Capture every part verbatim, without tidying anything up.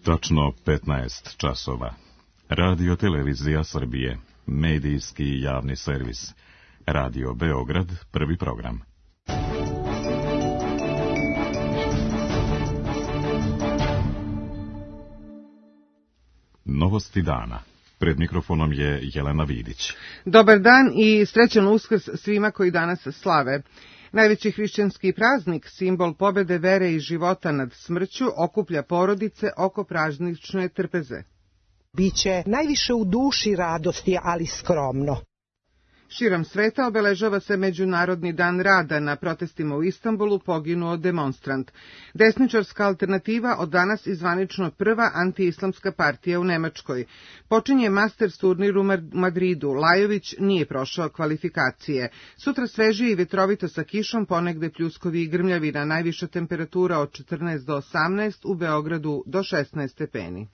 Tačno petnaest časova. Radio Televizija Srbije, medijski javni servis. Radio Beograd, prvi program. Novosti dana. Pred mikrofonom je Jelena Vidić. Dobar dan i srećan Uskrs svima koji danas slave. Najveći hrišćanski praznik, simbol pobede vere i života nad smrću, okuplja porodice oko praznične trpeze. Biće najviše u duši radosti, ali skromno. Širom sveta obeležava se Međunarodni dan rada. Na protestima u Istanbulu poginuo demonstrant. Desničarska alternativa od danas izvanično prva antiislamska partija u Nemačkoj. Počinje Masters turnir u Madridu. Lajović nije prošao kvalifikacije. Sutra svežije i vetrovito sa kišom, ponegde pljuskovi i grmljavina, najviša temperatura od četrnaest do osamnaest, u Beogradu do šesnaest stepeni.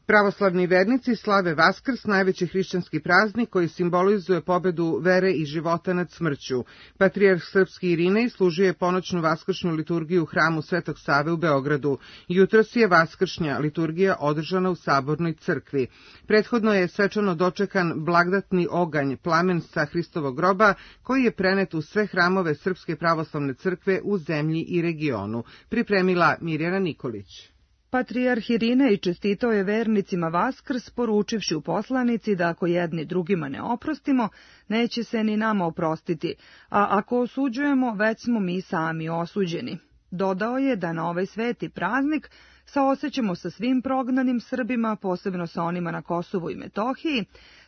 Pravoslavni vernici slave Vaskrs, najveći hrišćanski praznik koji simbolizuje pobedu vere i života nad smrću. Patrijarh srpski Irinej služio je ponoćnu vaskršnju liturgiju u hramu Svetog Save u Beogradu. Jutros je vaskršnja liturgija održana u Sabornoj crkvi. Prethodno je svečano dočekan blagdatni oganj, plamen sa Hristovog groba, koji je prenet u sve hramove Srpske pravoslavne crkve u zemlji i regionu. Pripremila Mirjana Nikolić. Patrijarh Irinej čestitao je vernicima Vaskrs, poručivši u poslanici da ako jedni drugima ne oprostimo, neće se ni nama oprostiti, a ako osuđujemo, već smo mi sami osuđeni. Dodao je da na ovaj sveti praznik saosećamo sa svim prognanim Srbima, posebno sa onima na Kosovu i Metohiji,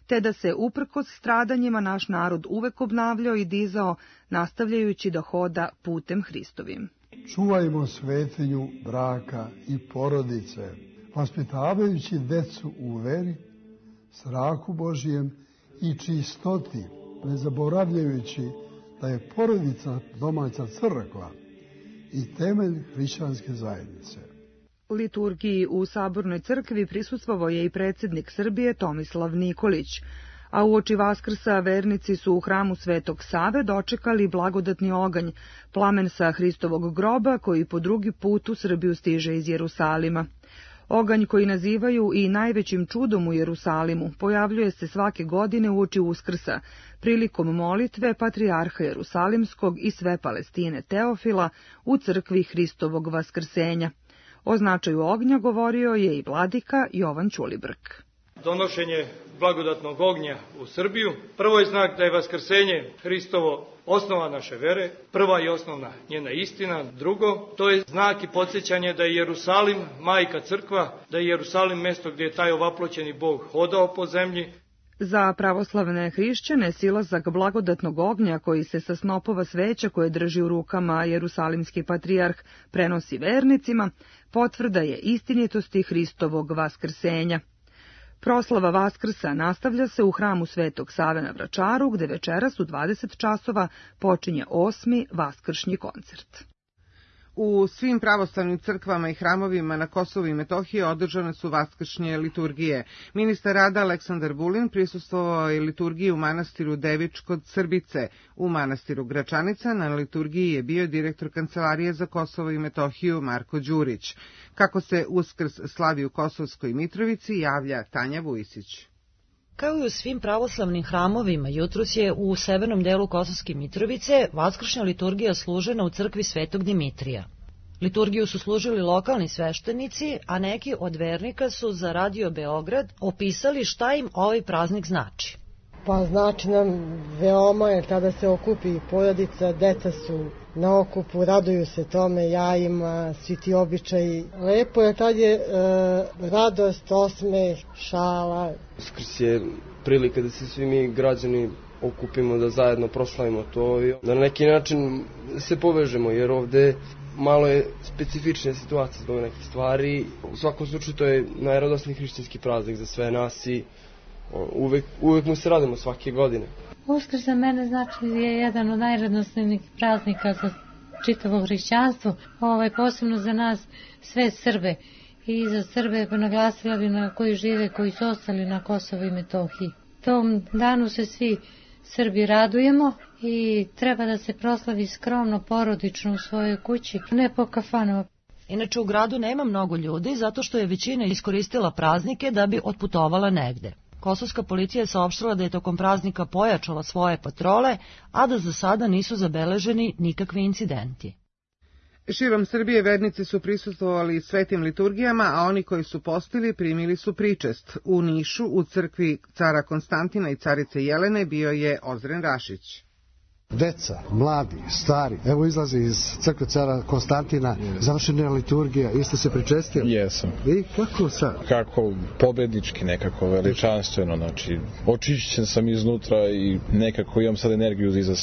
te da se uprkos stradanjima naš narod uvek obnavljao i dizao, nastavljajući da hoda putem Hristovim. Čuvajmo svetinju braka i porodice, vaspitavajući decu u veri, strahu Božijem i čistoti, ne zaboravljajući da je porodica domaća crkva i temelj hrišćanske zajednice. Liturgiji u Sabornoj crkvi prisustvovao je i predsjednik Srbije Tomislav Nikolić, a uoči Vaskrsa vernici su u hramu Svetog Save dočekali blagodatni oganj, plamen sa Hristovog groba koji po drugi put u Srbiju stiže iz Jerusalima. Oganj, koji nazivaju i najvećim čudom u Jerusalimu, pojavljuje se svake godine uoči Uskrsa, prilikom molitve Patrijarha Jerusalimskog i sve Palestine Teofila u crkvi Hristovog Vaskrsenja. O značaju ognja govorio je i vladika Jovan Ćulibrk. Donošenje blagodatnog ognja u Srbiju prvo je znak da je vaskrsenje Hristovo osnova naše vere, prva i osnovna njena istina. Drugo, to je znak i podsjećanje da je Jerusalim majka crkva, da je Jerusalim mesto gdje je taj ovaploćeni Bog hodao po zemlji. Za pravoslavne hrišćane silazak blagodatnog ognja koji se sa snopova sveća koje drži u rukama jerusalimski patrijarh prenosi vernicima, potvrda je istinitosti Hristovog vaskrsenja. Proslava Vaskrsa nastavlja se u hramu Svetog Save na Vračaru, gde večeras u dvadeset časova počinje osmi vaskršnji koncert. U svim pravoslavnim crkvama i hramovima na Kosovu i Metohiji održane su vaskršnje liturgije. Ministar rada Aleksandar Vulin prisustvovao je liturgiji u manastiru Devič kod Srbice. U manastiru Gračanica na liturgiji je bio direktor Kancelarije za Kosovo i Metohiju Marko Đurić. Kako se Uskrs slavi u Kosovskoj Mitrovici, javlja Tanja Vujisić. Kao i u svim pravoslavnim hramovima, jutros je u severnom delu Kosovske Mitrovice vaskršnja liturgija služena u crkvi Svetog Dimitrija. Liturgiju su služili lokalni sveštenici, a neki od vernika su za Radio Beograd opisali šta im ovaj praznik znači. Pa znači nam veoma, jer tada se okupi porodica, deca su na okupu, raduju se tome, jajima, svi ti običaji. Lepo je, tad je e, radost, osmeh, šala. Uskrs je prilika da se svi mi građani okupimo, da zajedno proslavimo to i da na neki način se povežemo, jer ovde malo je specifična situacija zbog nekih stvari. U svakom slučaju to je najradosniji hrišćanski praznik za sve nas i uvek, uvek mu se radimo svake godine. Uskrs za mene znači je jedan od najradosnijih praznika za čitavo hrišćanstvo, ovaj, posebno za nas sve Srbe i za Srbe naglasila bi na koji žive, koji su ostali na Kosovu i Metohiji. Tom danu se svi Srbi radujemo i treba da se proslavi skromno, porodično u svojoj kući, ne po kafanama. Inače u gradu nema mnogo ljudi zato što je većina iskoristila praznike da bi otputovala negde. Kosovska policija je saopštila da je tokom praznika pojačala svoje patrole, a da za sada nisu zabeleženi nikakvi incidenti. Širom Srbije vernici su prisustvovali svetim liturgijama, a oni koji su postili primili su pričest. U Nišu, u crkvi cara Konstantina i carice Jelene, bio je Ozren Rašić. Deca, mladi, stari, evo izlaze iz crkve cara Konstantina, završena je liturgija, jeste se pričestili? Jesam. I kako sad? Kako pobednički, nekako veličanstveno, znači očišćen sam iznutra i nekako imam sad energiju za,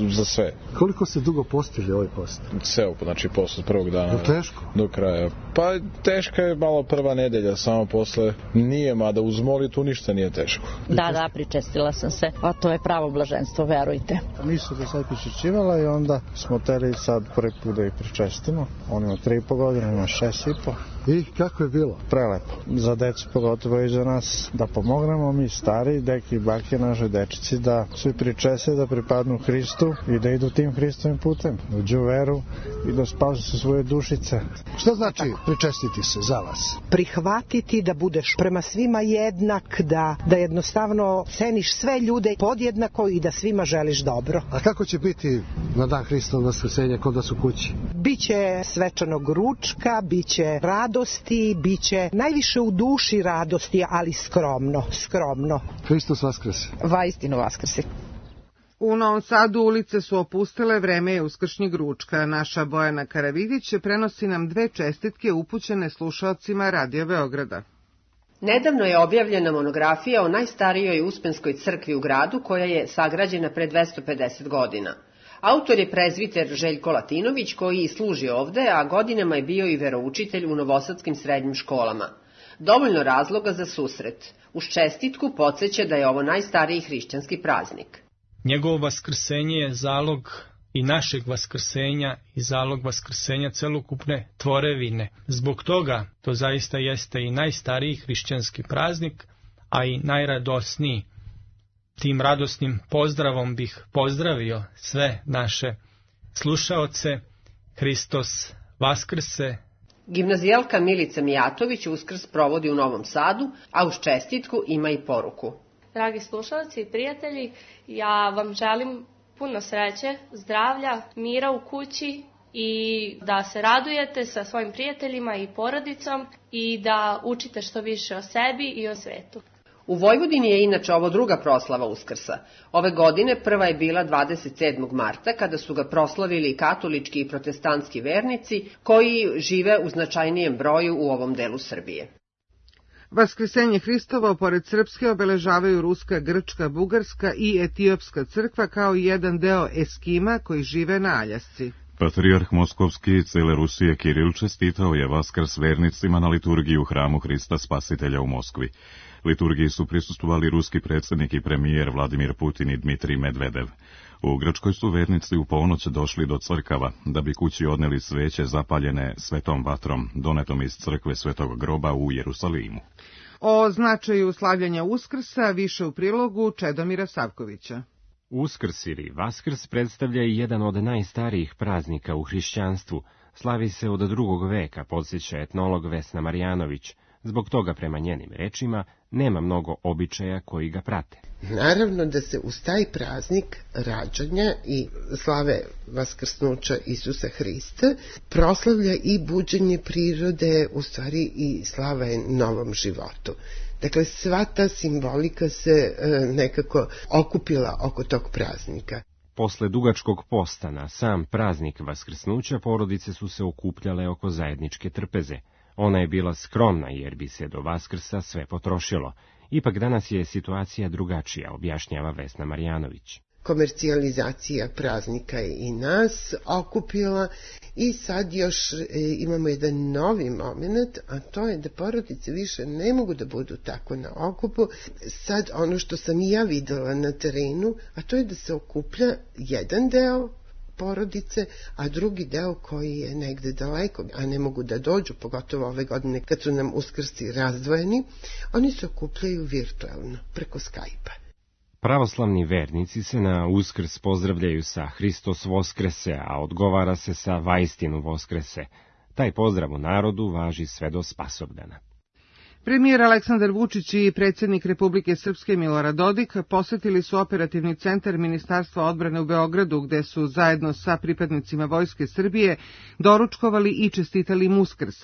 za sve. Koliko se dugo postili ovaj post? Ceo, znači posle prvog dana. Je teško? Do kraja. Pa teška je malo prva nedelja, samo posle nije, mada uz molitu ništa nije teško. Da, da, pričestila sam se, a to je pravo blaženstvo, verujte. Nisu do sad pričešćivala i onda smo teli sad prvi put da ih pričestimo. On ima tri i po godine, ima šest i po. I kako je bilo? Prelepo. Za decu pogotovo i za nas da pomognemo, mi stari, deki i bake, naše dečici, da svi pričese, da pripadnu Hristu i da idu tim Hristovim putem, da uđu u veru i da spasu se svoje dušice. Što znači pričestiti se za vas? Prihvatiti da budeš prema svima jednak, da, da jednostavno ceniš sve ljude podjednako i da svima želiš dobro. A kako će biti na dan Hristovog vaskrsenja kod vas u kući? Biće svečanog ručka, biće radosti, biće najviše u duši radosti, ali skromno, skromno. Hristos vaskrese. Vaistinu vaskrese. U Novom Sadu ulice su opustele, vreme je uskršnjeg ručka. Naša Bojana Karavidić prenosi nam dve čestitke upućene slušaocima Radio Beograda. Nedavno je objavljena monografija o najstarijoj uspenskoj crkvi u gradu koja je sagrađena pre dvesta pedeset godina. Autor je prezviter Željko Latinović koji služi ovde, a godinama je bio i veroučitelj u novosadskim srednjim školama. Dovoljno razloga za susret. Uz čestitku podsjeća da je ovo najstariji hrišćanski praznik. Njegovo vaskrsenje je zalog i našeg vaskrsenja i zalog vaskrsenja celokupne tvorevine. Zbog toga to zaista jeste i najstariji hrišćanski praznik, a i najradosniji. Tim radosnim pozdravom bih pozdravio sve naše slušaoce. Hristos vaskrse. Gimnazijalka Milica Mijatović Uskrs provodi u Novom Sadu, a uz čestitku ima i poruku. Dragi slušalci i prijatelji, ja vam želim puno sreće, zdravlja, mira u kući i da se radujete sa svojim prijateljima i porodicom i da učite što više o sebi i o svetu. U Vojvodini je inače ovo druga proslava Uskrsa. Ove godine prva je bila dvadeset sedmog marta, kada su ga proslavili katolički i protestantski vernici koji žive u značajnijem broju u ovom delu Srbije. Vaskrsenje Hristovo pored srpske obeležavaju ruska, grčka, bugarska i etiopska crkva kao i jedan deo Eskima koji žive na Aljasci. Patrijarh Moskovski cele Rusije Kiril čestitao je Vaskrs vernicima na liturgiji u hramu Hrista Spasitelja u Moskvi. Liturgiji su prisustvovali ruski predsjednik i premijer Vladimir Putin i Dmitrij Medvedev. U Grčkoj su vernici u ponoć došli do crkava, da bi kući odneli sveće zapaljene svetom vatrom, donetom iz crkve Svetog groba u Jerusalimu. O značaju slavljanja Uskrsa više u prilogu Čedomira Savkovića. Uskrs ili Vaskrs predstavlja i jedan od najstarijih praznika u hrišćanstvu. Slavi se od drugog veka, podsjeća etnolog Vesna Marjanović. Zbog toga, prema njenim rečima, nema mnogo običaja koji ga prate. Naravno da se uz taj praznik rađanja i slave vaskrsnuća Isusa Hrista proslavlja i buđenje prirode, u stvari i slava je novom životu. Dakle, sva ta simbolika se e, nekako okupila oko tog praznika. Posle dugačkog posta na sam praznik vaskrsnuća porodice su se okupljale oko zajedničke trpeze. Ona je bila skromna jer bi se do Vaskrsa sve potrošilo. Ipak danas je situacija drugačija, objašnjava Vesna Marjanović. Komercijalizacija praznika je i nas okupila i sad još e, imamo jedan novi moment, a to je da porodice više ne mogu da budu tako na okupu. Sad ono što sam i ja videla na terenu, a to je da se okuplja jedan deo porodice, a drugi deo koji je negde daleko, a ne mogu da dođu, pogotovo ove godine kad su nam uskrsti razdvojeni, oni se okupljaju virtualno, preko Skype-a. Pravoslavni vernici se na Uskrs pozdravljaju sa Hristos Voskrese, a odgovara se sa Vaistinu Voskrese. Taj pozdrav u narodu važi sve do Spasovdana. Premijer Aleksandar Vučić i predsjednik Republike Srpske Milorad Dodik posetili su operativni centar Ministarstva odbrane u Beogradu, gde su zajedno sa pripadnicima Vojske Srbije doručkovali i čestitali im Uskrs.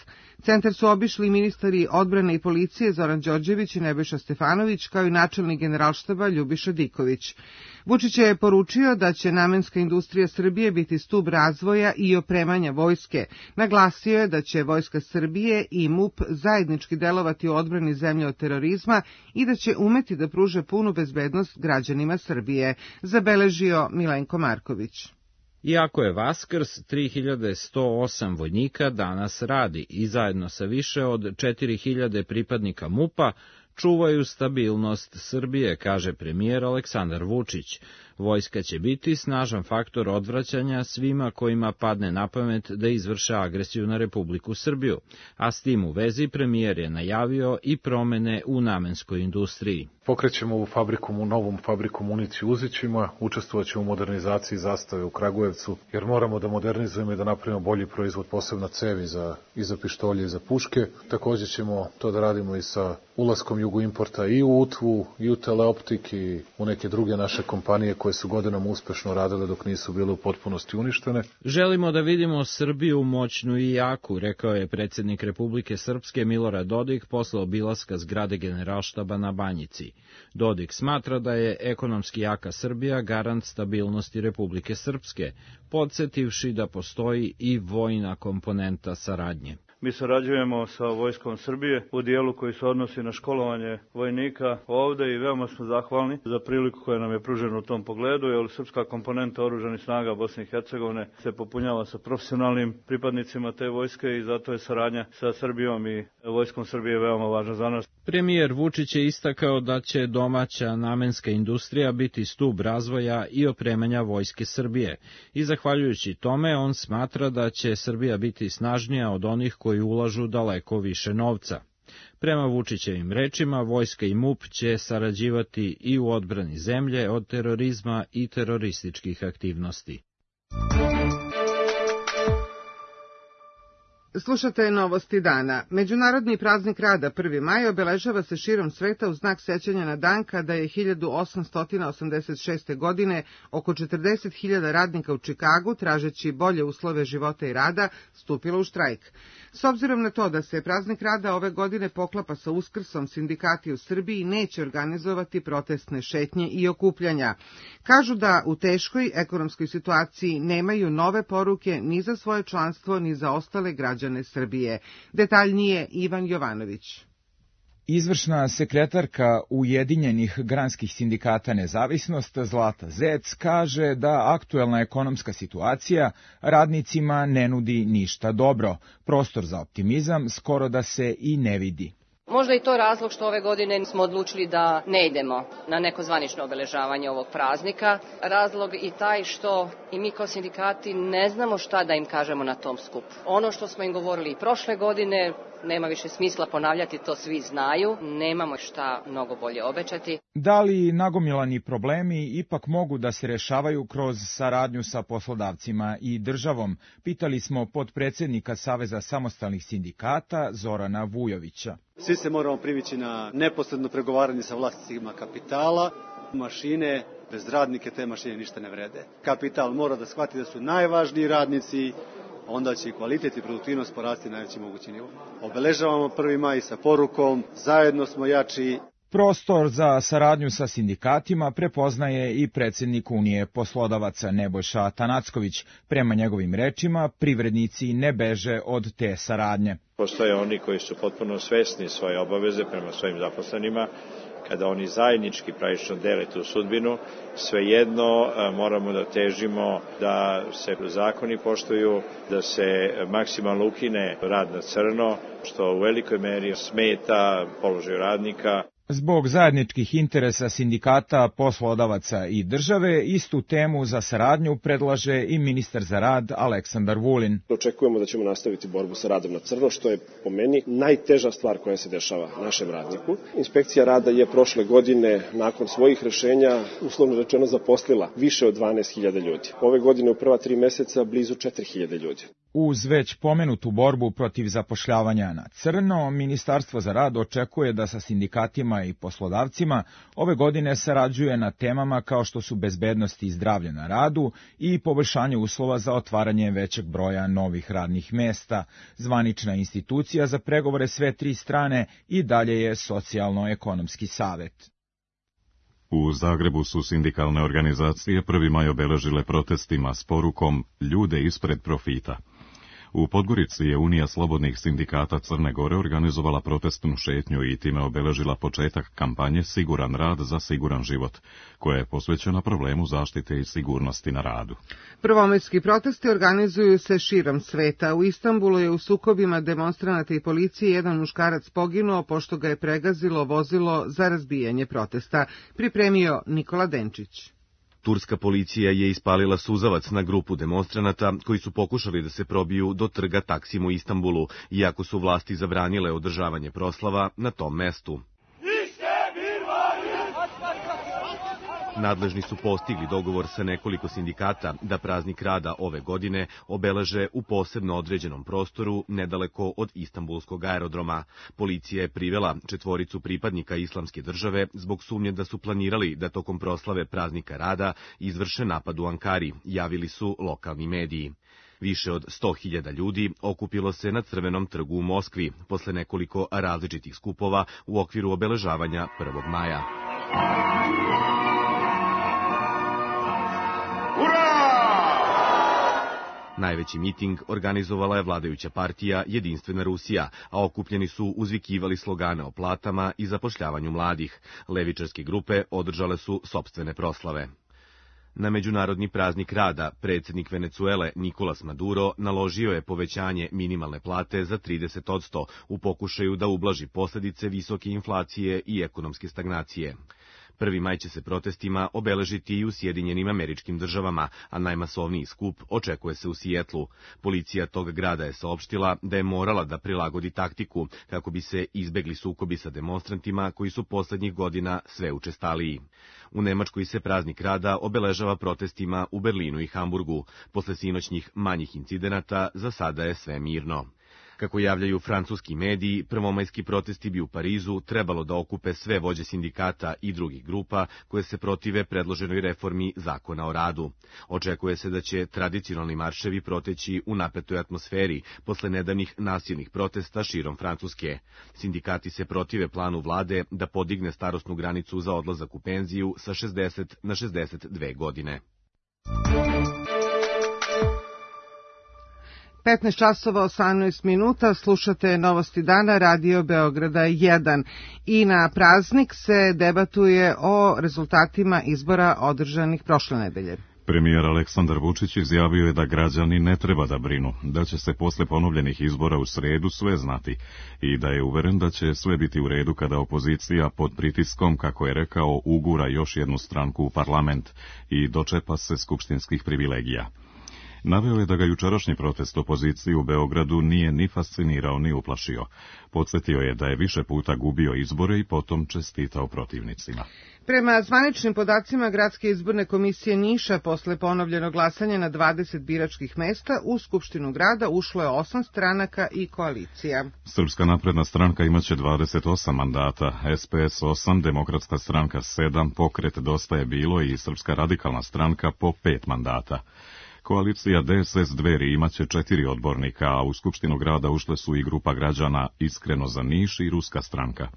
Centar su obišli ministari odbrane i policije Zoran Đorđević i Nebojša Stefanović, kao i načelnik Generalštaba Ljubiša Diković. Vučić je poručio da će namenska industrija Srbije biti stub razvoja i opremanja vojske. Naglasio je da će Vojska Srbije i MUP zajednički delovati u odbrani zemlje od terorizma i da će umeti da pruže punu bezbednost građanima Srbije, zabeležio Milenko Marković. Iako je Vaskrs, tri hiljade sto osam vojnika danas radi i zajedno sa više od četiri hiljade pripadnika MUP-a čuvaju stabilnost Srbije, kaže premijer Aleksandar Vučić. Vojska će biti snažan faktor odvraćanja svima kojima padne na pamet da izvrše agresiju na Republiku Srbiju, a s tim u vezi premijer je najavio i promene u namenskoj industriji. Pokrećemo ovu fabriku, novom fabriku municije u Uzićima, učestvovat ćemo u modernizaciji zastave u Kragujevcu, jer moramo da modernizujemo i da napravimo bolji proizvod, posebno cevi za, i za pištolje i za puške. Također ćemo to da radimo i sa ulaskom Jugoimporta i u Utvu, i u Teleoptik i u neke druge naše kompanije koje su godinama uspešno radile dok nisu bile u potpunosti uništene. Želimo da vidimo Srbiju moćnu i jaku, rekao je predsjednik Republike Srpske Milorad Dodik posle obilaska zgrade Generalštaba na Banjici. Dodik smatra da je ekonomski jaka Srbija garant stabilnosti Republike Srpske, podsjetivši da postoji i vojna komponenta saradnje. Mi sarađujemo sa Vojskom Srbije u dijelu koji se odnosi na školovanje vojnika ovde i veoma smo zahvalni za priliku koja nam je pružena u tom pogledu, jer srpska komponenta oružanih snaga Bosne i Hercegovine se popunjava sa profesionalnim pripadnicima te vojske i zato je saradnja sa Srbijom i Vojskom Srbije veoma važna za nas. Premijer Vučić je istakao da će domaća namenska industrija biti stub razvoja i opremanja Vojske Srbije i zahvaljujući tome on smatra da će Srbija biti snažnija od onih koji ulažu daleko više novca. Prema Vučićevim rečima, Vojska i MUP će sarađivati i u odbrani zemlje od terorizma i terorističkih aktivnosti. Slušate novosti dana. Međunarodni praznik rada prvi maj obeležava se širom sveta u znak sećanja na dan kada je hiljadu osamsto osamdeset šeste. godine oko četrdeset hiljada radnika u Čikagu, tražeći bolje uslove života i rada, stupilo u štrajk. S obzirom na to da se praznik rada ove godine poklapa sa Uskrsom, sindikati u Srbiji neće organizovati protestne šetnje i okupljanja. Kažu da u teškoj ekonomskoj situaciji nemaju nove poruke ni za svoje članstvo ni za ostale građane Srbije. Detaljnije Ivan Jovanović. Izvršna sekretarka Ujedinjenih granskih sindikata Nezavisnost Zlata Zec kaže da aktuelna ekonomska situacija radnicima ne nudi ništa dobro. Prostor za optimizam skoro da se i ne vidi. Možda i to razlog što ove godine smo odlučili da ne idemo na neko zvanično obeležavanje ovog praznika. Razlog i taj što i mi kao sindikati ne znamo šta da im kažemo na tom skupu. Ono što smo im govorili i prošle godine, nema više smisla ponavljati, to svi znaju, nemamo šta mnogo bolje obećati. Da li nagomilani problemi ipak mogu da se rešavaju kroz saradnju sa poslodavcima i državom? Pitali smo potpredsednika Saveza samostalnih sindikata Zorana Vujovića. Svi se moramo privići na neposredno pregovaranje sa vlasnicima kapitala. Mašine, bez radnike te mašine ništa ne vrede. Kapital mora da shvati da su najvažniji radnici, onda će i kvalitet i produktivnost porasti na najveći mogući nivo. Obeležavamo prvi maj sa porukom, zajedno smo jači. Prostor za saradnju sa sindikatima prepoznaje i predsjednik Unije poslodavaca Nebojša Tanacković. Prema njegovim rečima, privrednici ne beže od te saradnje. Postoje oni koji su potpuno svesni svoje obaveze prema svojim zaposlenima. Kada oni zajednički pravično dele tu sudbinu, svejedno moramo da težimo da se zakoni poštuju, da se maksimalno ukine rad na crno, što u velikoj meri smeta položaju radnika. Zbog zajedničkih interesa sindikata, poslodavaca i države, istu temu za saradnju predlaže i ministar za rad Aleksandar Vulin. Očekujemo da ćemo nastaviti borbu sa radom na crno, što je po meni najteža stvar koja se dešava našem radniku. Inspekcija rada je prošle godine nakon svojih rešenja uslovno rečeno zaposlila više od dvanaest hiljada ljudi. Ove godine u prva tri meseca blizu četiri hiljade ljudi. Uz već pomenutu borbu protiv zapošljavanja na crno, Ministarstvo za rad očekuje da sa sindikatima i poslodavcima ove godine sarađuje na temama kao što su bezbednost i zdravlje na radu i poboljšanje uslova za otvaranje većeg broja novih radnih mesta. Zvanična institucija za pregovore sve tri strane i dalje je Socijalno-ekonomski savet. U Zagrebu su sindikalne organizacije prvi maj obeležile protestima s porukom "Ljude ispred profita". U Podgorici je Unija slobodnih sindikata Crne Gore organizovala protestnu šetnju i time obeležila početak kampanje Siguran rad za siguran život, koja je posvećena problemu zaštite i sigurnosti na radu. Prvomajski protesti organizuju se širom sveta. U Istanbulu je u sukobima demonstranata i policije jedan muškarac poginuo pošto ga je pregazilo vozilo za razbijanje protesta. Pripremio Nikola Denčić. Turska policija je ispalila suzavac na grupu demonstranata koji su pokušali da se probiju do trga Taksim u Istanbulu, iako su vlasti zabranile održavanje proslava na tom mestu. Nadležni su postigli dogovor sa nekoliko sindikata da praznik rada ove godine obeleže u posebno određenom prostoru nedaleko od Istanbulskog aerodroma. Policija je privela četvoricu pripadnika Islamske države zbog sumnje da su planirali da tokom proslave praznika rada izvrše napad u Ankari, javili su lokalni mediji. Više od sto hiljada ljudi okupilo se na Crvenom trgu u Moskvi posle nekoliko različitih skupova u okviru obeležavanja prvog maja. Najveći miting organizovala je vladajuća partija Jedinstvena Rusija, a okupljeni su uzvikivali slogane o platama i zapošljavanju mladih. Levičarske grupe održale su sopstvene proslave. Na Međunarodni praznik rada predsjednik Venecuele Nicolas Maduro naložio je povećanje minimalne plate za trideset posto u pokušaju da ublaži posljedice visoke inflacije i ekonomske stagnacije. Prvi maj će se protestima obeležiti i u Sjedinjenim Američkim Državama, a najmasovniji skup očekuje se u Sijetlu. Policija tog grada je saopštila da je morala da prilagodi taktiku kako bi se izbegli sukobi sa demonstrantima koji su poslednjih godina sve učestaliji. U Nemačkoj se praznik rada obeležava protestima u Berlinu i Hamburgu. Posle sinoćnjih manjih incidenata za sada je sve mirno. Kako javljaju francuski mediji, prvomajski protesti bi u Parizu trebalo da okupe sve vođe sindikata i drugih grupa koje se protive predloženoj reformi zakona o radu. Očekuje se da će tradicionalni marševi proteći u napetoj atmosferi posle nedavnih nasilnih protesta širom Francuske. Sindikati se protive planu vlade da podigne starosnu granicu za odlazak u penziju sa šezdeset na šezdeset dve godine. petnaest časova osamnaest minuta, slušate Novosti dana, Radio Beograda jedan. I na praznik se debatuje o rezultatima izbora održanih prošle nedelje. Premijer Aleksandar Vučić izjavio je da građani ne treba da brinu, da će se posle ponovljenih izbora u sredu sve znati i da je uveren da će sve biti u redu kada opozicija pod pritiskom, kako je rekao, ugura još jednu stranku u parlament i dočepa se skupštinskih privilegija. Naveo je da ga jučerašnji protest opozicije u Beogradu nije ni fascinirao ni uplašio. Podsjetio je da je više puta gubio izbore i potom čestitao protivnicima. Prema zvaničnim podacima Gradske izborne komisije Niša, posle ponovljenog glasanja na dvadeset biračkih mesta, u Skupštinu grada ušlo je osam stranaka i koalicija. Srpska napredna stranka imaće dvadeset osam mandata, S P S osam, Demokratska stranka sedam, Pokret Dosta je bilo i Srpska radikalna stranka po pet mandata. Koalicija D S S Dveri imaće četiri odbornika, a u Skupštinu grada ušle su i grupa građana Iskreno za Niš i Ruska stranka.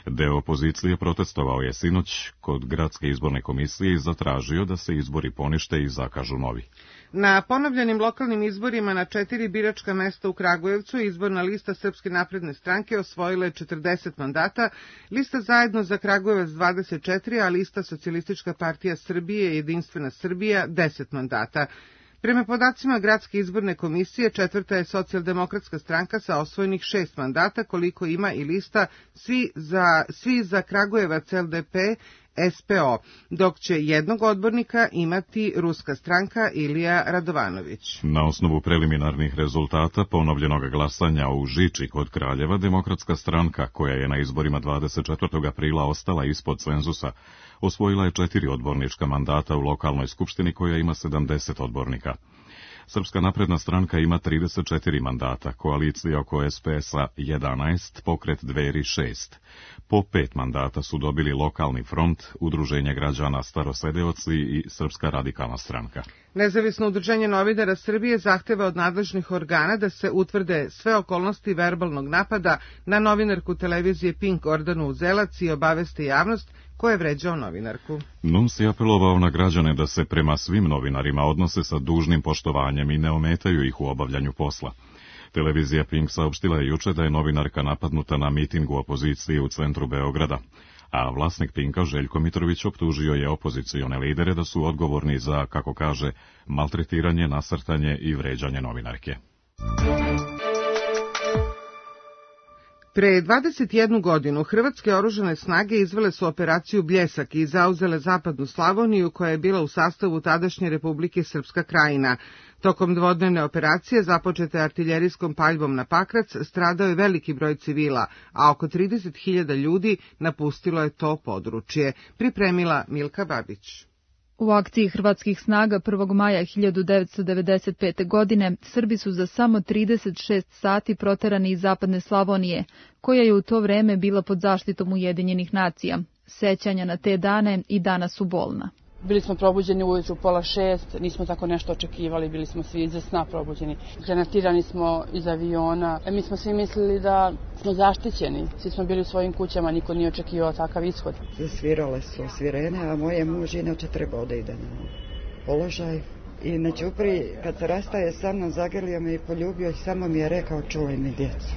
Deo opozicije protestovao je sinoć kod Gradske izborne komisije i zatražio da se izbori ponište i zakažu novi. Na ponovljenim lokalnim izborima na četiri biračka mesta u Kragujevcu izborna lista Srpske napredne stranke osvojila je četrdeset mandata, lista Zajedno za Kragujevac dvadeset četiri, a lista Socijalistička partija Srbije i Jedinstvena Srbija deset mandata. Prema podacima Gradske izborne komisije, četvrta je Socijaldemokratska stranka sa osvojenih šest mandata, koliko ima i lista Svi za, svi za Kragujevac L D P S P O, dok će jednog odbornika imati Ruska stranka Ilija Radovanović. Na osnovu preliminarnih rezultata ponovljenog glasanja u Žiči kod Kraljeva, Demokratska stranka, koja je na izborima dvadeset četvrtog aprila ostala ispod cenzusa, osvojila je četiri odbornička mandata u lokalnoj skupštini koja ima sedamdeset odbornika. Srpska napredna stranka ima trideset četiri mandata, koalicija oko S P S-a jedanaest, pokret Dveri šest. Po pet mandata su dobili Lokalni front, Udruženje građana Starosedeoci i Srpska radikalna stranka. Nezavisno udruženje novinara Srbije zahteva od nadležnih organa da se utvrde sve okolnosti verbalnog napada na novinarku televizije Pink Gordanu Uzelac i obaveste javnost ko je vređao novinarku. Nums je apelovao na građane da se prema svim novinarima odnose sa dužnim poštovanjem i ne ometaju ih u obavljanju posla. Televizija Pink saopštila je juče da je novinarka napadnuta na mitingu opozicije u centru Beograda, a vlasnik Pinka Željko Mitrović optužio je opozicione lidere da su odgovorni za, kako kaže, maltretiranje, nasrtanje i vređanje novinarke. Pre dvadeset jednu godinu hrvatske oružane snage izvele su operaciju Bljesak i zauzele zapadnu Slavoniju koja je bila u sastavu tadašnje Republike Srpska Krajina. Tokom dvodnevne operacije, započete artiljerijskom paljbom na Pakrac, stradao je veliki broj civila, a oko trideset hiljada ljudi napustilo je to područje. Pripremila Milka Babić. U akciji hrvatskih snaga prvog maja hiljadu devetsto devedeset pete. godine Srbi su za samo trideset šest sati proterani iz zapadne Slavonije, koja je u to vreme bila pod zaštitom Ujedinjenih nacija. Sećanja na te dane i danas su bolna. Bili smo probuđeni ujutru pola šest, nismo tako nešto očekivali, bili smo svi iza sna probuđeni. Granatirani smo iz aviona, mi smo svi mislili da smo zaštićeni, svi smo bili u svojim kućama, niko nije očekivao takav ishod. Zasvirale su svirene, a moje muž inače trebao da ide na položaj. I na ćupri, kad se rastaje sa mnom, zagrlio me i poljubio i samo mi je rekao čuvaj mi djecu.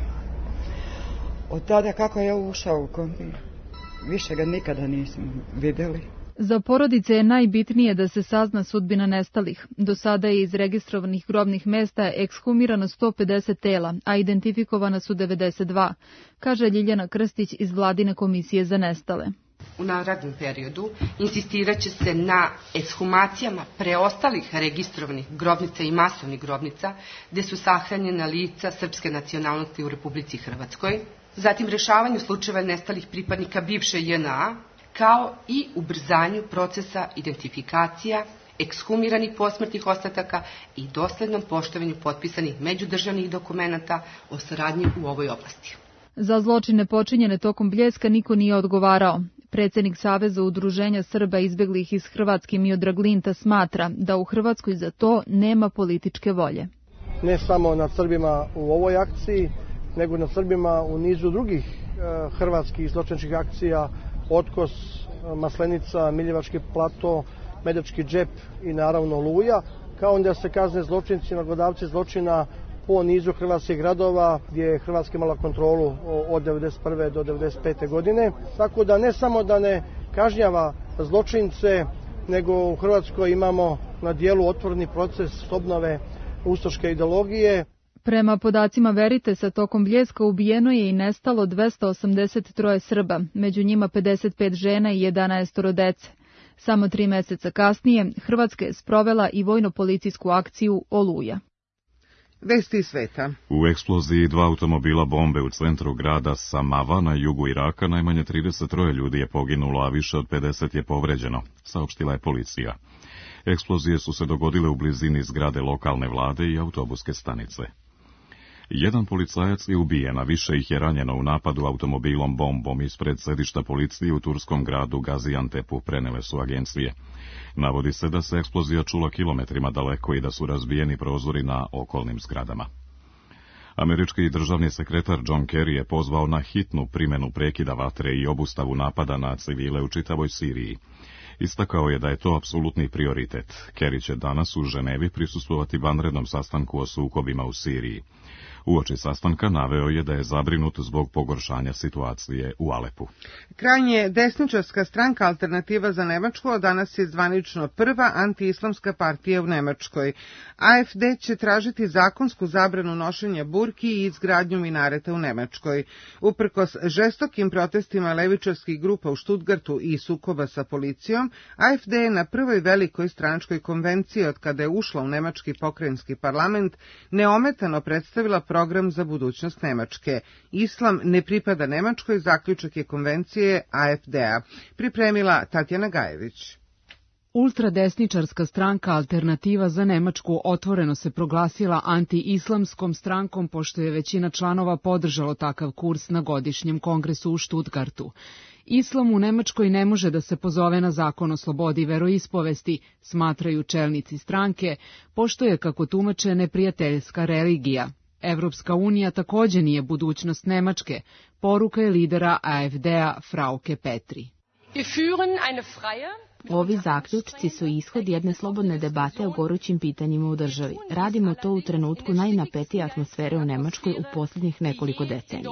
Od tada kako je ušao u kombi, više ga nikada nismo vidjeli. Za porodice je najbitnije da se sazna sudbina nestalih. Do sada je iz registrovanih grobnih mesta ekshumirano sto pedeset tela, a identifikovana su devedeset dva, kaže Ljiljana Krstić iz Vladine komisije za nestale. U narednom periodu insistirat će se na ekshumacijama preostalih registrovanih grobnica i masovnih grobnica gde su sahranjena lica srpske nacionalnosti u Republici Hrvatskoj, zatim rešavanju slučajeva nestalih pripadnika bivše J N A, kao i ubrzanju procesa identifikacija, ekshumiranih posmrtnih ostataka i doslednom poštovanju potpisanih međudržavnih dokumenata o saradnji u ovoj oblasti. Za zločine počinjene tokom Bljeska niko nije odgovarao. Predsjednik Saveza udruženja Srba izbeglih iz Hrvatske Miodrag Linta smatra da u Hrvatskoj za to nema političke volje. Ne samo nad Srbima u ovoj akciji, nego nad Srbima u nizu drugih e, hrvatskih zločinačkih akcija, Otkos, Maslenica, Miljevački plato, Medački džep i naravno Oluja, kao da se kazne zločinci, nagodavci zločina po nizu hrvatskih gradova gdje je Hrvatska imala kontrolu od devedeset prve do devedeset pete. godine. Tako da ne samo da ne kažnjava zločince, nego u Hrvatskoj imamo na dijelu otvoreni proces obnove ustaške ideologije. Prema podacima Veritesa, tokom Bljeska ubijeno je i nestalo dvesta osamdeset tri Srba, među njima pedeset pet žena i jedanaest dece. Samo tri meseca kasnije Hrvatska je sprovela i vojno-policijsku akciju Oluja. Vesti sveta. U eksploziji dva automobila bombe u centru grada Samava na jugu Iraka najmanje trideset tri ljudi je poginulo, a više od pedeset je povređeno, saopštila je policija. Eksplozije su se dogodile u blizini zgrade lokalne vlade i autobuske stanice. Jedan policajac je ubijen, a više ih je ranjeno u napadu automobilom bombom ispred sedišta policije u turskom gradu Gaziantepu, prenele su agencije. Navodi se da se eksplozija čula kilometrima daleko i da su razbijeni prozori na okolnim zgradama. Američki državni sekretar John Kerry je pozvao na hitnu primjenu prekida vatre i obustavu napada na civile u čitavoj Siriji. Istakao je da je to apsolutni prioritet. Kerry će danas u Ženevi prisustvovati vanrednom sastanku o sukobima u Siriji. Uoči sastanka naveo je da je zabrinut zbog pogoršanja situacije u Alepu. Krajnje desničarska stranka Alternativa za Nemačku od danas je zvanično prva antiislamska partija u Nemačkoj. A F D će tražiti zakonsku zabranu nošenja burki i izgradnju minareta u Nemačkoj. Uprkos žestokim protestima levičarskih grupa u Stuttgartu i sukoba sa policijom, A F D je na prvoj velikoj stranačkoj konvenciji od kada je ušla u nemački pokrajinski parlament neometano predstavila program za budućnost Nemačke. Islam ne pripada Nemačkoj, zaključak je konvencije A F D-a. Pripremila Tatjana Gajević. Ultradesničarska stranka Alternativa za Nemačku otvoreno se proglasila anti-islamskom strankom pošto je većina članova podržalo takav kurs na godišnjem kongresu u Stuttgartu. Islam u Nemačkoj ne može da se pozove na zakon o slobodi veroispovesti, smatraju čelnici stranke, pošto je, kako tumače, neprijateljska religija. Evropska unija takođe nije budućnost Nemačke, poruka je lidera A F D-a Frauke Petri. Ovi zaključci su ishod jedne slobodne debate o gorućim pitanjima u državi. Radimo to u trenutku najnapetije atmosfere u Nemačkoj u posljednjih nekoliko decenija.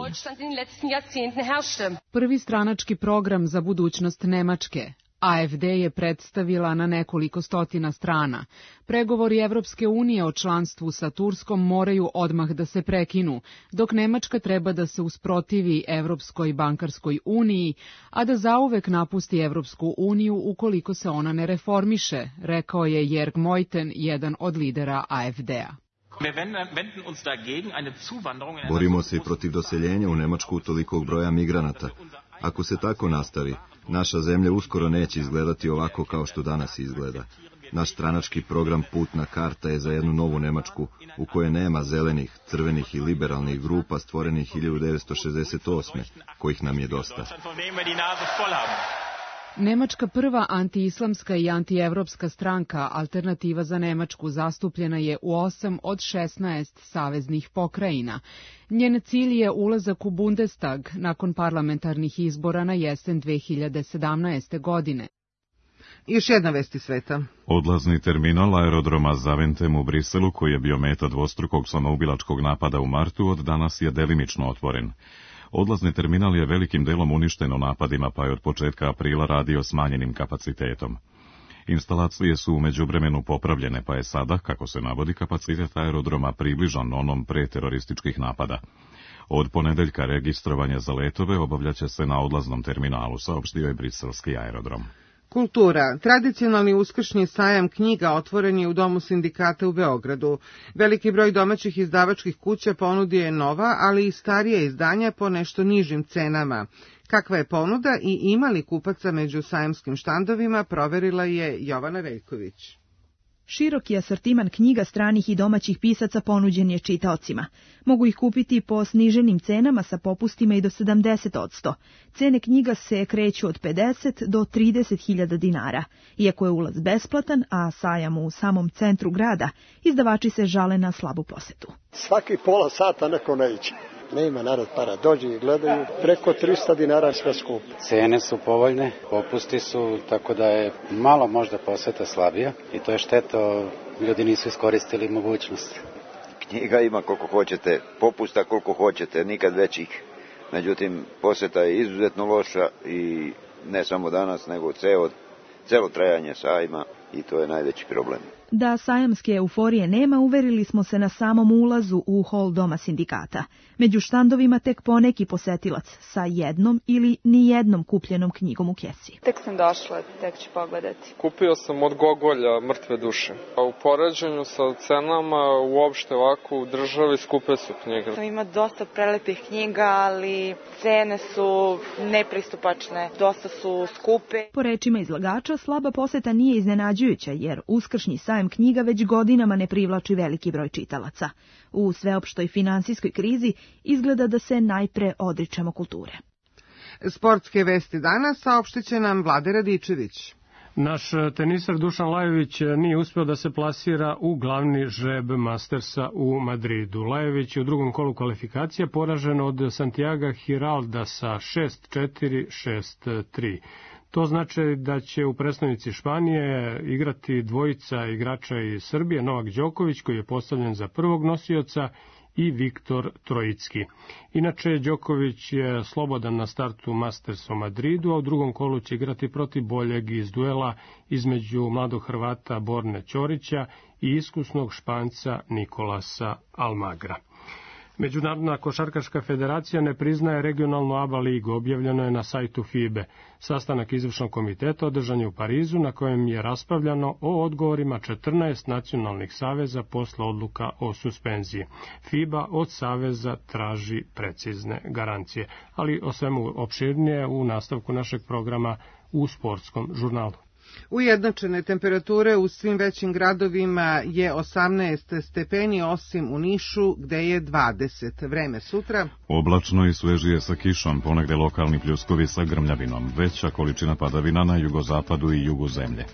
Prvi stranački program za budućnost Nemačke. A F D je predstavila na nekoliko stotina strana. Pregovori Evropske unije o članstvu sa Turskom moraju odmah da se prekinu, dok Nemačka treba da se usprotivi Evropskoj bankarskoj uniji, a da zauvek napusti Evropsku uniju ukoliko se ona ne reformiše, rekao je Jörg Meuthen, jedan od lidera A F D-a. Borimo se i protiv doseljenja u Nemačku tolikog broja migranata. Ako se tako nastavi, naša zemlja uskoro neće izgledati ovako kao što danas izgleda. Naš stranački program Putna karta je za jednu novu Nemačku u kojoj nema zelenih, crvenih i liberalnih grupa stvorenih hiljadu devetsto šezdeset osme, kojih nam je dosta. Nemačka prva antiislamska i antievropska stranka Alternativa za Nemačku zastupljena je u osam od šesnaest saveznih pokrajina. Njen cilj je ulazak u Bundestag nakon parlamentarnih izbora na jesen dve hiljade sedamnaeste. godine. Još jedna vesti sveta. Odlazni terminal aerodroma Zaventem u Briselu, koji je bio meta dvostrukog samoubilačkog napada u martu, od danas je delimično otvoren. Odlazni terminal je velikim delom uništen u napadima, pa je od početka aprila radio smanjenim kapacitetom. Instalacije su u međuvremenu popravljene, pa je sada, kako se navodi, kapacitet aerodroma približan onom pre terorističkih napada. Od ponedeljka registrovanje za letove obavljaće se na odlaznom terminalu, saopštio je briselski aerodrom. Kultura. Tradicionalni uskršnji sajam knjiga otvoren je u Domu sindikata u Beogradu. Veliki broj domaćih izdavačkih kuća ponudio je nova, ali i starije izdanja po nešto nižim cenama. Kakva je ponuda i ima li kupaca među sajamskim štandovima, proverila je Jovana Veljković. Široki asortiman knjiga stranih i domaćih pisaca ponuđen je čitaocima. Mogu ih kupiti po sniženim cenama sa popustima i do sedamdeset odsto. Cene knjiga se kreću od pedeset do trideset hiljada dinara. Iako je ulaz besplatan, a sajam u samom centru grada, izdavači se žale na slabu posetu. Svaki pola sata neko ne iće. Nema narod para, dođe i gledaju, preko trista dinara sve skupo. Cene su povoljne, popusti su, tako da je malo možda poseta slabija i to je šteta, ljudi nisu iskoristili mogućnost. Knjiga ima koliko hoćete, popusta koliko hoćete, nikad većih. Međutim, poseta je izuzetno loša i ne samo danas, nego ceo, celo trajanje sajma i to je najveći problem. Da sajamske euforije nema, uverili smo se na samom ulazu u hol Doma sindikata. Među štandovima tek poneki posetilac sa jednom ili ni jednom kupljenom knjigom u kesi. Tek sam došla, tek ću pogledati. Kupio sam od Gogolja Mrtve duše. A u poređenju sa cenama uopšte ovako u državi skupe su knjige. Ima dosta prelepih knjiga, ali cene su nepristupačne, dosta su skupe. Po rečima izlagača, slaba poseta nije iznenađujuća, jer uskršnji sajam knjiga već godinama ne privlači veliki broj čitalaca. U sveopštoj finansijskoj krizi izgleda da se najpre odričemo kulture. Sportske vesti danas saopštit će nam Vlade Radičević. Naš tenisar Dušan Lajović nije uspeo da se plasira u glavni žreb Mastersa u Madridu. Lajović je u drugom kolu kvalifikacija poražen od Santiaga Giralda sa šest četiri, šest tri. To znači da će u predstavnici Španije igrati dvojica igrača iz Srbije, Novak Đoković koji je postavljen za prvog nosioca i Viktor Trojicki. Inače, Đoković je slobodan na startu Mastersa u Madridu, a u drugom kolu će igrati protiv boljeg iz duela između mladog Hrvata Borne Ćorića i iskusnog Španca Nikolasa Almagra. Međunarodna košarkaška federacija ne priznaje regionalnu A B A ligu, objavljeno je na sajtu F I B E. Sastanak izvršnog komiteta održan je u Parizu, na kojem je raspravljano o odgovorima četrnaest nacionalnih saveza posle odluka o suspenziji. FIBA od saveza traži precizne garancije, ali o svemu opširnije u nastavku našeg programa u sportskom žurnalu. Ujednačene temperature u svim većim gradovima je osamnaest stepeni, osim u Nišu gde je dvadeset. Vreme sutra. Oblačno i svežije sa kišom, ponegde lokalni pljuskovi sa grmljavinom, veća količina padavina na jugozapadu i jugu zemlje.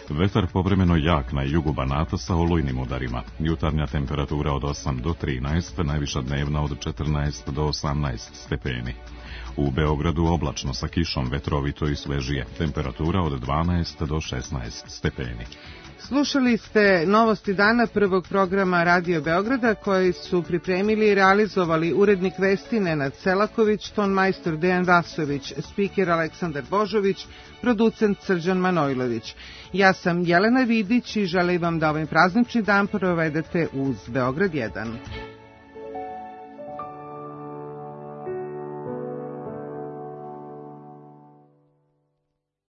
Vetar povremeno jak na jugu Banata sa olujnim udarima. Jutarnja temperatura od osam do trinaest, najviša dnevna od četrnaest do osamnaest stepeni. U Beogradu oblačno sa kišom, vetrovito i svežije, temperatura od dvanaest do šesnaest stepeni. Slušali ste novosti dana prvog programa Radio Beograda koji su pripremili i realizovali urednik vesti Nenad Selaković, tonmajstor Dejan Vasović, spiker Aleksandar Božović, producent Srđan Manojlović. Ja sam Jelena Vidić i želim vam da ovaj praznični dan provedete uz Beograd jedan.